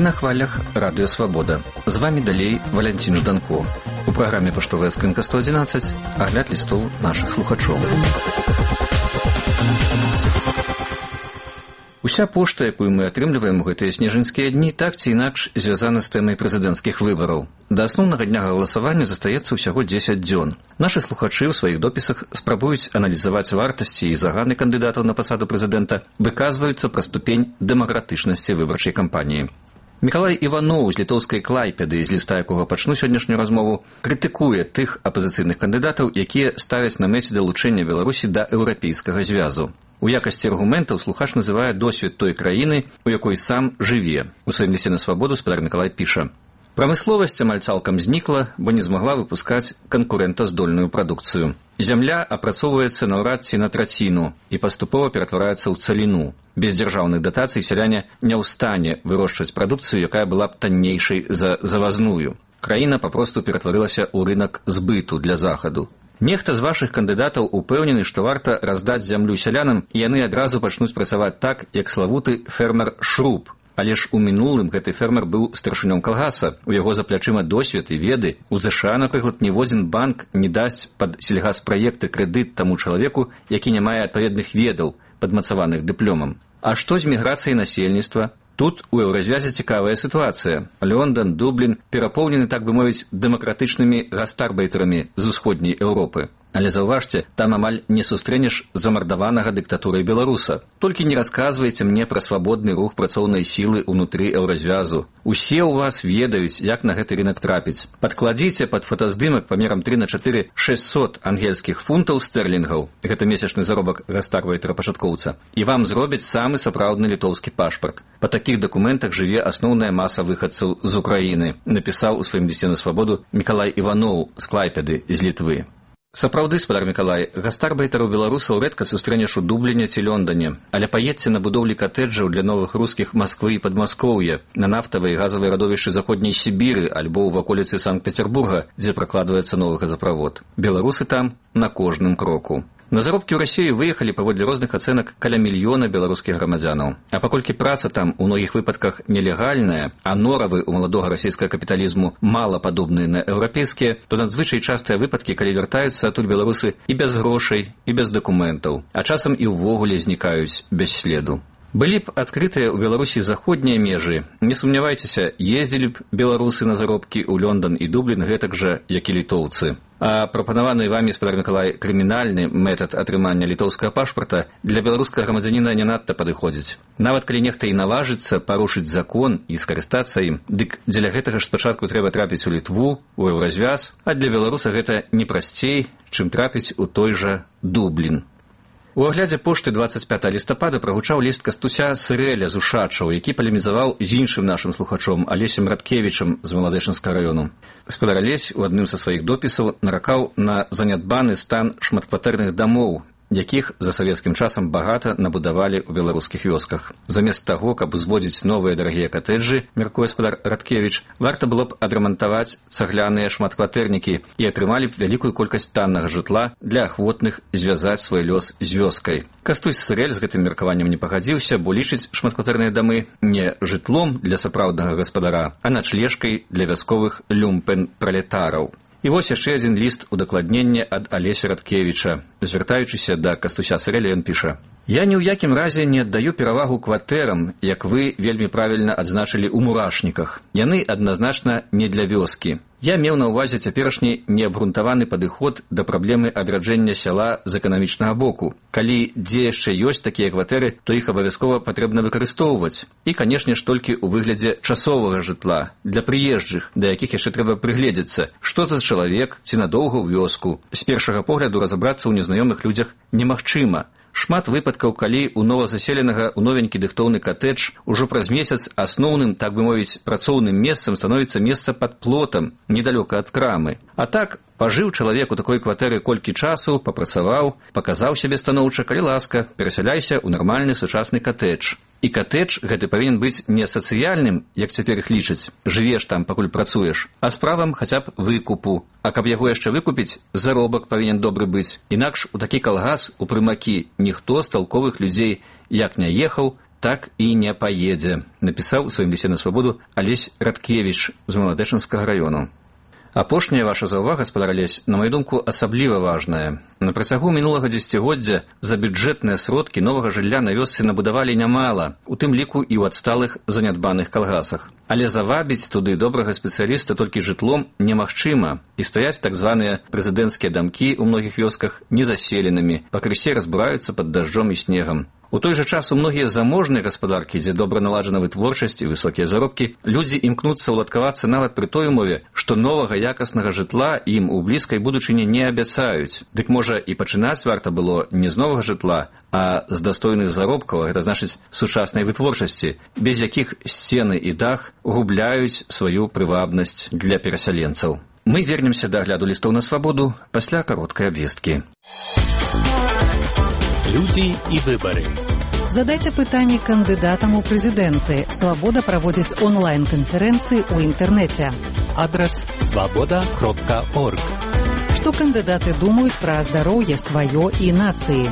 на хвалях Радыё Свабода. З вами далей Валянцін Жданко. У праграме «Паштовая скрынка 111» агляд лістоў нашых слухачоў. Уся пошта, якую мы атрымліваем у гэтыя снежаньскія дні, так ці інакш звязана з тэмай прэзідэнцкіх выбараў. Да асноўнага дня галасавання застаецца ўсяго 10 дзён. Нашы слухачы ў сваіх допісах спрабуюць аналізаваць вартасці і заганы кандыдатаў на пасаду прэзідэнта, выказваюцца пра ступень дэмакратычнасці выбарчай кампаніі. Мікалай Іваноў з літоўскай Клайпеды, з ліста якога пачну сённяшнюю размову, крытыкуе тых апазіцыйных кандыдатаў, якія ставяць на мэце далучэння Беларусі да еўрапейскага звязу. У якасці аргументаў слухач называе досвед той краіны, у якой сам жыве. У сваім лісце на свабоду спадар Мікалай піша: «Прамысловасць амаль цалкам знікла, бо не змагла выпускаць канкурэнтаздольную прадукцыю. Зямля апрацоўваецца наўрад ці на траціну і паступова ператвараецца ў цаліну. Без дзяржаўных датацый сяляне не ў стане вырошчваць прадукцыю, якая была б таннейшай за завазную. Краіна папросту ператварылася ў рынак збыту для захаду. Нехта з вашых кандыдатаў упэўнены, што варта раздаць зямлю сялянам, і яны адразу пачнуць працаваць так, як славуты фермер Шруб. Але ж у мінулым гэты фермер быў старшынём калгаса, у яго за плячыма досвед і веды. У ЗША, напрыклад, ніводзін банк не дасць пад сельгаспраекты крэдыт таму чалавеку, які не мае адпаведных ведаў, падмацаваных дыпломам. А што з міграцыяй насельніцтва? Тут у еўразвязе цікавая сітуацыя. Лондон, Дублін перапоўнены, так бы мовіць, дэмакратычнымі гастарбайтарамі з усходняй Еўропы. Але заўважце, там амаль не сустрэнеш замардаванага дыктатурай беларуса. Толькі не расказвайце мне пра свабодны рух працоўнай сілы ўнутры еўразвязу. Усе ў вас ведаюць, як на гэты рынак трапіць. Падкладзіце пад фотаздымак памерам 3х4 600 ангельскіх фунтаў стэрлінгаў, гэта месячны заробак гастарбайтара-пачаткоўца, і вам зробяць самы сапраўдны літоўскі пашпарт. Па такіх дакументах жыве асноўная маса выхадцаў з Украіны, напісаў у сваім лісце на свабоду Мікалай Іваноў з Клайпеды, з Літвы. Сапраўды, спадар Мікалай, гастарбайтараў беларусаў рэдка сустрэнеш у Дубліне ці Лондане, але паедзьце на будоўлі катэджаў для новых рускіх Масквы і Падмаскоўя, на нафтавыя і газавыя радовішчы заходняй Сібіры альбо ў ваколіцы Санкт-Петербурга, дзе пракладваецца новы газаправод. Беларусы там на кожным кроку. На заробкі ў Расію выехалі паводле розных ацэнак каля мільёна беларускіх грамадзянаў. А паколькі праца там у многіх выпадках нелегальная, а норавы ў маладога расійскага капіталізму мала падобныя на еўрапейскія, то надзвычай частыя выпадкі, калі вяртаюцца адтуль беларусы і без грошай, і без дакументаў, а часам і ўвогуле знікаюць без следу. Былі б адкрытыя ў Беларусі заходнія межы. Не сумнявайцеся, ездзілі б беларусы на заробкі ў Лондон і Дублін гэтак жа, як і літоўцы. А прапанаваны вамі, спадар Мікалай, крымінальны метад атрымання літоўскага пашпарта для беларускага грамадзяніна не надта падыходзіць. Нават калі нехта і наважыцца парушыць закон і скарыстацца ім, дык дзеля гэтага ж спачатку трэба трапіць у Літву, у еўразвяз, а для беларуса гэта не прасцей, чым трапіць у той жа Дублін. У аглядзе пошты 25 лістапада прагучаў ліст Кастуся Сырэля з Ушачаў, які палемізаваў з іншым нашым слухачом Алесем Радкевічам з Маладэчынскага раёну. Спадар Алесь у адным са сваіх допісаў наракаў на занядбаны стан шматкватэрных дамоў, якіх за савецкім часам багата набудавалі ў беларускіх вёсках. Замест таго, каб узводзіць новыя дарагія катэджы, мяркуе спадар Радкевіч, варта было б адрамантаваць цагляныя шматкватэрнікі і атрымалі б вялікую колькасць таннага жытла для ахвотных звязаць свой лёс з вёскай. Кастусь Сырэль з гэтым меркаваннем не пагадзіўся, бо лічыць шматкватэрныя дамы не жытлом для сапраўднага гаспадара, а начлежкай для вясковых люмпен-пралетараў. І вось яшчэ адзін ліст удакладнення ад Алеся Радкевіча. Звяртаючыся да Кастуся Сырэля, ён піша: «Я ні ў якім разе не аддаю перавагу кватэрам, як вы вельмі правільна адзначылі ў мурашніках. Яны адназначна не для вёскі. Я меў на ўвазе цяперашні неабгрунтаваны падыход да праблемы адраджэння сяла з эканамічнага боку. Калі дзе яшчэ ёсць такія кватэры, то іх абавязкова патрэбна выкарыстоўваць. І, канешне ж, толькі ў выглядзе часовага жытла, для прыезджых, да якіх яшчэ трэба прыгледзецца, што за чалавек ці надоўга ў вёску. З першага погляду разабрацца ў незнаёмых людзях немагчыма. Шмат выпадкаў, калі у новазаселенага ў новенькі дыхтоўны катэдж ужо праз месяц асноўным, так бы мовіць, працоўным месцам становіцца месца пад плотам, недалёка ад крамы. А так, пажыў чалавек у такой кватэры колькі часу, папрацаваў, паказаў сябе станоўча, калі ласка, перасяляйся ў нармальны сучасны катэдж. І катэдж гэты павінен быць не сацыяльным, як цяпер іх лічаць, жывеш там, пакуль працуеш, а з правам хаця б выкупу. А каб яго яшчэ выкупіць, заробак павінен добры быць. Інакш у такі калгас, у прымакі, ніхто з талковых людзей як не ехаў, так і не паедзе, напісаў у сваім лісце на свабоду Алесь Радкевіч з Маладэчынскага раёну. Апошняя ваша заўвага, гаспадар Алесь, на маю думку, асабліва важная. На працягу мінулага дзесяцігоддзя за бюджэтныя сродкі новага жылля на вёсцы набудавалі нямала, у тым ліку і ў адсталых занядбаных калгасах. Але завабіць туды добрага спецыяліста толькі жытлом немагчыма, і стаяць так званыя прэзідэнцкія дамкі ў многіх вёсках незаселенымі, пакрысе разбураюцца пад дажджом і снегам. У той жа час у многія заможныя гаспадаркі, дзе добра наладжана вытворчасць і высокія заробкі, людзі імкнуцца ўладкавацца нават пры той умове, што новага якаснага жытла ім у блізкай будучыні не абяцаюць. Дык можа і пачынаць варта было не з новага жытла, а з дастойных заробкаў, гэта значыць сучаснай вытворчасці, без якіх сцены і дах губляюць сваю прывабнасць для перасяленцаў. Мы вернемся да агляду лістоў на свабоду пасля кароткай абвесткі. Людзі і выбары. Задайце пытанні кандыдатам у прэзідэнты. Свабода праводзіць онлайн-канферэнцыі ў інтэрнэце. Адрас svaboda.org. Што кандыдаты думаюць пра здароўе сваё і нацыі.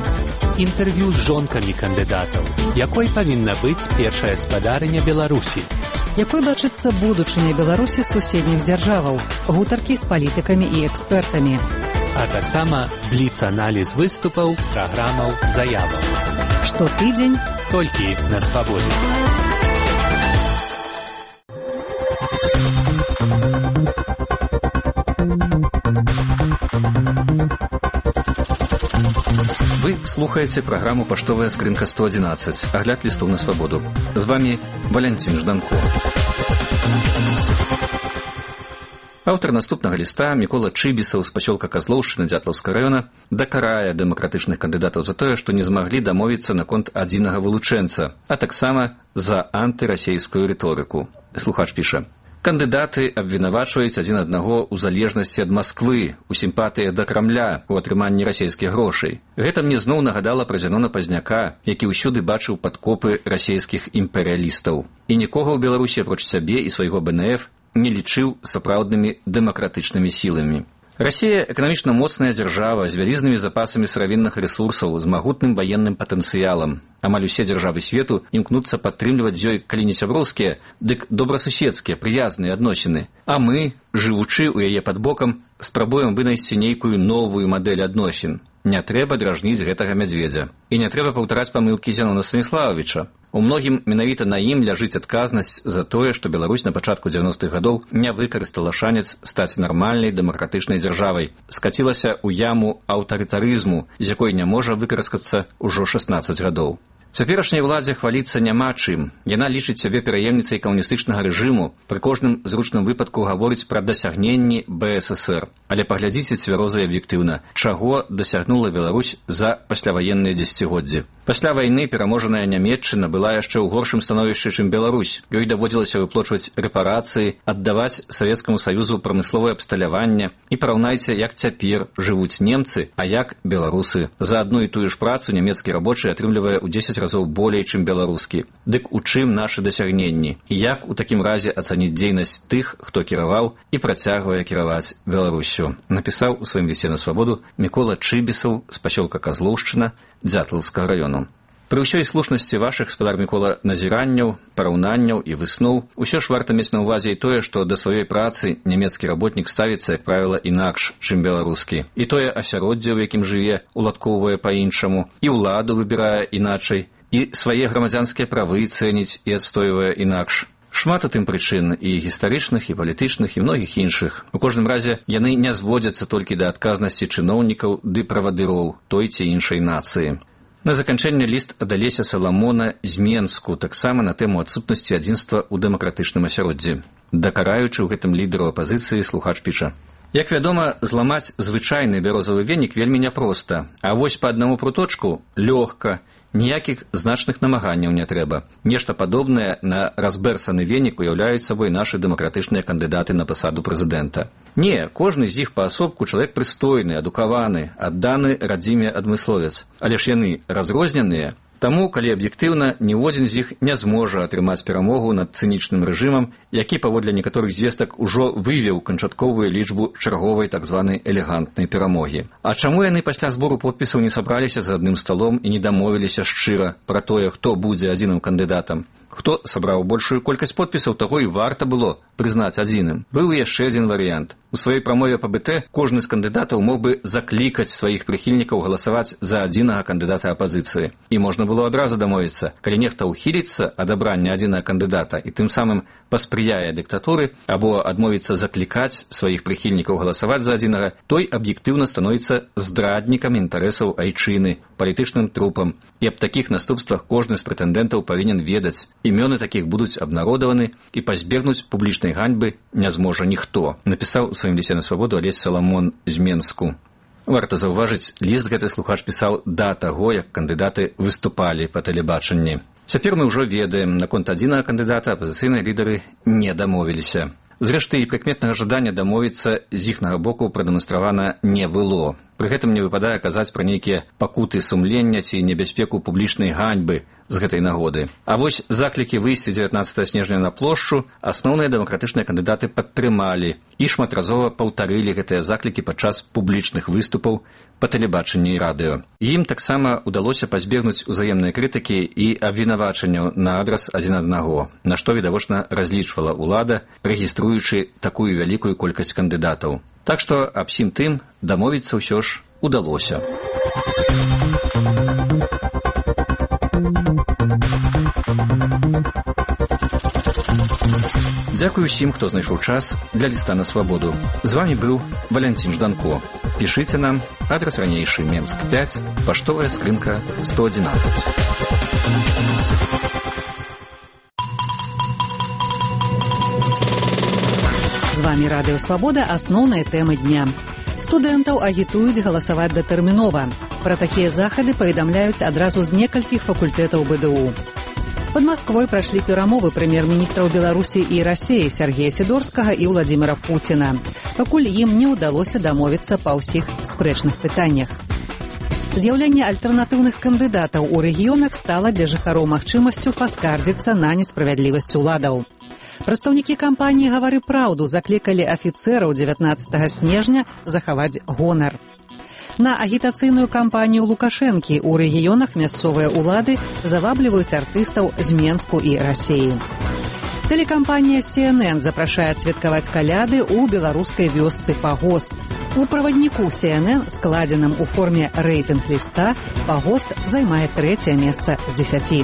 Інтэрв'ю з жонкамі кандыдатаў. Якой павінна быць першая спадарыня Беларусі? Якой бачыцца будучыня Беларусі суседніх дзяржаваў? Гутаркі з палітыкамі і экспертамі. А таксама бліц-аналіз выступаў, праграмаў, заяваў. Штотыдзень толькі на свабодзе. Вы слухаеце праграму «Паштовая скрынка 111», агляд лістоў на свабоду. З вами Валянцін Жданко. Аўтар наступнага ліста Мікола Чыбісаў з пасёлка Казлоўшчына Дзятлаўскага раёна дакарае дэмакратычных кандыдатаў за тое, што не змаглі дамовіцца наконт адзінага вылучэнца, а таксама за антырасейскую рыторыку. Слухач піша: кандыдаты абвінавачваюць адзін аднаго ў залежнасці ад Масквы, у сімпатыі да Крамля, у атрыманні расейскіх грошай. Гэта мне зноў нагадала пра Зянона Пазняка, які ўсюды бачыў падкопы расейскіх імперыялістаў. І нікога ў Беларусі, апроч сябе і свайго БНФ, не лічыў сапраўднымі дэмакратычнымі сіламі. Расія эканамічна моцная дзяржава з вялізнымі запасамі сыравінных рэсурсаў, з магутным ваенным патэнцыялам. Амаль усе дзяржавы свету імкнуцца падтрымліваць з ёй, калі не сяброўскія, дык добрасуседскія, прыязныя адносіны. А мы, жывучы ў яе пад бокам, спрабуем вынайсці нейкую новую мадэль адносін. Не трэба дражніць гэтага мядзведзя. І не трэба паўтараць памылкі Зянона Станіслававіча. У многім менавіта на ім ляжыць адказнасць за тое, што Беларусь на пачатку 90-х гадоў не выкарыстала шанец стаць нармальнай дэмакратычнай дзяржавай, скацілася ў яму аўтарытарызму, з якой не можа выкараскацца ўжо 16 гадоў. Цяперашняй уладзе хваліцца няма чым. Яна лічыць сябе пераемніцай камуністычнага рэжыму, пры кожным зручным выпадку гаворыць пра дасягненні БССР. Але паглядзіце цвяроза і аб'ектыўна, чаго дасягнула Беларусь за пасляваенныя дзесяцігоддзі. Пасля вайны пераможаная Нямецчына была яшчэ ў горшым становішчы, чым Беларусь. Ёй даводзілася выплочваць рэпарацыі, аддаваць Савецкаму Саюзу прамысловае абсталяванне. І параўнайце, як цяпер жывуць немцы, а як беларусы. За адну і тую ж працу нямецкі рабочы атрымлівае ў 10 разоў болей, чым беларускі. Дык у чым нашы дасягненні? І як у такім разе ацаніць дзейнасць тых, хто кіраваў і працягвае кіраваць Беларусю? Напісаў у сваім лісце на свабоду Мікола Чыбісаў з пасёлка Казлоўшчына Дзятлаўскага раёну. Пры ўсёй слушнасці вашых, гаспадар Мікола, назіранняў, параўнанняў і высноў, усё ж варта мець на ўвазе і тое, што да сваёй працы нямецкі работнік ставіцца, як правіла, інакш, чым беларускі. І тое асяроддзе, у якім жыве, уладкоўвае па-іншаму, і ўладу выбірае іначай, і свае грамадзянскія правы цэніць і адстойвае інакш. Шмат у тым прычын і гістарычных, і палітычных, і многіх іншых. У кожным разе яны не зводзяцца толькі да адказнасці чыноўнікаў ды правадыроў той ці іншай нацыі. На заканчэнне ліст ад Алеся Саламона з Менску, таксама на тэму адсутнасці адзінства ў дэмакратычным асяроддзі. Дакараючы ў гэтым лідару апазіцыі, слухач піша: як вядома, зламаць звычайны бярозавы венік вельмі няпроста, а вось па аднаму пруточку лёгка. Ніякіх значных намаганняў не трэба. Нешта падобнае на разбэрсаны венік уяўляюць сабой нашы дэмакратычныя кандыдаты на пасаду прэзідэнта. Не, кожны з іх паасобку чалавек прыстойны, адукаваны, адданы радзіме адмысловец. Але ж яны разрозненыя. Таму, калі аб'ектыўна, ніводзін з іх не зможа атрымаць перамогу над цынічным рэжымам, які, паводле некаторых звестак, ужо вывеў канчатковую лічбу чарговай так званай элегантнай перамогі. А чаму яны пасля збору подпісаў не сабраліся за адным сталом і не дамовіліся шчыра пра тое, хто будзе адзіным кандыдатам? Хто сабраў большую колькасць подпісаў, таго і варта было прызнаць адзіным. Быў яшчэ адзін варыянт. У сваёй прамове па БТ кожны з кандыдатаў мог бы заклікаць сваіх прыхільнікаў галасаваць за адзінага кандыдата апазіцыі. І можна было адразу дамовіцца, калі нехта ўхіліцца ад абрання адзінага кандыдата і тым самым паспрыяе дыктатуры або адмовіцца заклікаць сваіх прыхільнікаў галасаваць за адзінага, той аб'ектыўна становіцца здраднікам інтарэсаў айчыны, палітычным трупам. І аб такіх наступствах кожны з прэтэндэнтаў павінен ведаць. Імёны такіх будуць абнародаваны і пазбегнуць публічнай ганьбы не зможа ніхто, напісаў у сваім лісце на свабоду Алесь Саламон з Менску. Варта заўважыць, ліст гэты слухач пісаў да таго, як кандыдаты выступалі па тэлебачанні. Цяпер мы ўжо ведаем, наконт адзінага кандыдата апазіцыйныя лідары не дамовіліся. Зрэшты, і прыкметнага жадання дамовіцца з іхнага боку прадэманстравана не было. Пры гэтым не выпадае казаць пра нейкія пакуты сумлення ці небяспеку публічнай ганьбы з гэтай нагоды. А вось заклікі выйсці 19 снежня на плошчу асноўныя дэмакратычныя кандыдаты падтрымалі і шматразова паўтарылі гэтыя заклікі падчас публічных выступаў па тэлебачанні і радыё. Ім таксама удалося пазбегнуць узаемнай крытыкі і абвінавачанняў на адрас адзін аднаго, на што відавочна разлічвала ўлада, рэгіструючы такую вялікую колькасць кандыдатаў. Так што аб сім тым дамовіцца ўсё ж удалося. Дзякую усім, хто знайшоў час для ліста на свабоду. З вамі быў Валянцін Жданко. Пішыце нам, адрас ранейшы, Менск 5, паштовая скрынка 111. З вамі Радыё Свабода, асноўныя тэмы дня. Студэнтаў агітуюць галасаваць датэрмінова. Пра такія захады паведамляюць адразу з некалькіх факультэтаў БДУ. Пад Масквой прайшлі перамовы прэм'ер-міністраў Беларусі і Расіі Сергея Сідорскага і Владзіміра Пуціна. Пакуль ім не ўдалося дамовіцца па ўсіх спрэчных пытаннях. З'яўленне альтэрнатыўных кандыдатаў у рэгіёнах стала для жыхароў магчымасцю паскардзіцца на несправядлівасць уладаў. Прадстаўнікі кампаніі «Гавары праўду» заклікалі афіцэраў 19 снежня захаваць гонар. На агітацыйную кампанію Лукашэнкі ў рэгіёнах мясцовыя ўлады завабліваюць артыстаў з Менску і Расіі. Тэлекампанія CNN запрашае святкаваць каляды ў беларускай вёсцы Пагост. У правадніку CNN, складзеным у форме рэйтынг-ліста, Пагост займае 3-е месца з 10.